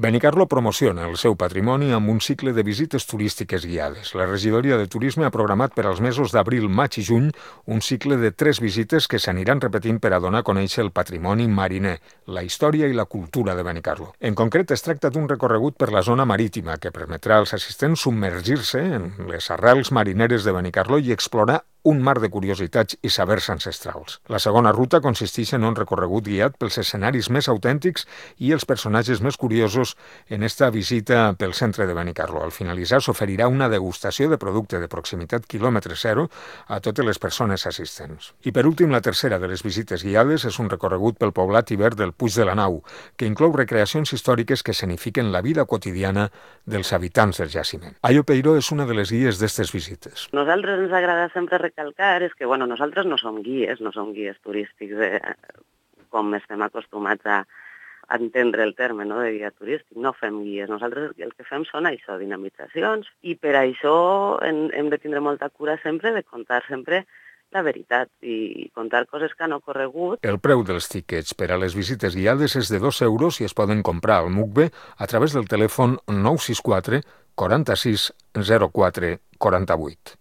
Benicarló promociona el seu patrimoni amb un cicle de visites turístiques guiades. La regidoria de turisme ha programat per als mesos d'abril, maig i juny un cicle de 3 visites que s'aniran repetint per a donar a conèixer el patrimoni mariner, la història i la cultura de Benicarló. En concret, es tracta d'un recorregut per la zona marítima que permetrà als assistents submergir-se en les arrels marineres de Benicarló i explorar un mar de curiositats i sabers ancestrals. La segona ruta consisteix en un recorregut guiat pels escenaris més autèntics i els personatges més curiosos en esta visita pel centre de Benicarló. Al finalitzar s'oferirà una degustació de producte de proximitat quilòmetre zero a totes les persones assistents. I per últim, la tercera de les visites guiades és un recorregut pel poblat ibèric del Puig de la Nau, que inclou recreacions històriques que escenifiquen la vida quotidiana dels habitants del jaciment. Ayo Peiró és una de les guies d'aquestes visites. Nosaltres ens agrada sempre recalcar és que nosaltres no som guies turístics com estem acostumats a entendre el terme de guia turístic, no fem guies. Nosaltres el que fem són això, dinamitzacions, i per això hem de tindre molta cura sempre de contar sempre la veritat i contar coses que han ocorregut. El preu dels tiquets per a les visites guiades és de 2 euros i es poden comprar al MUCBE a través del telèfon 964 46 04 48.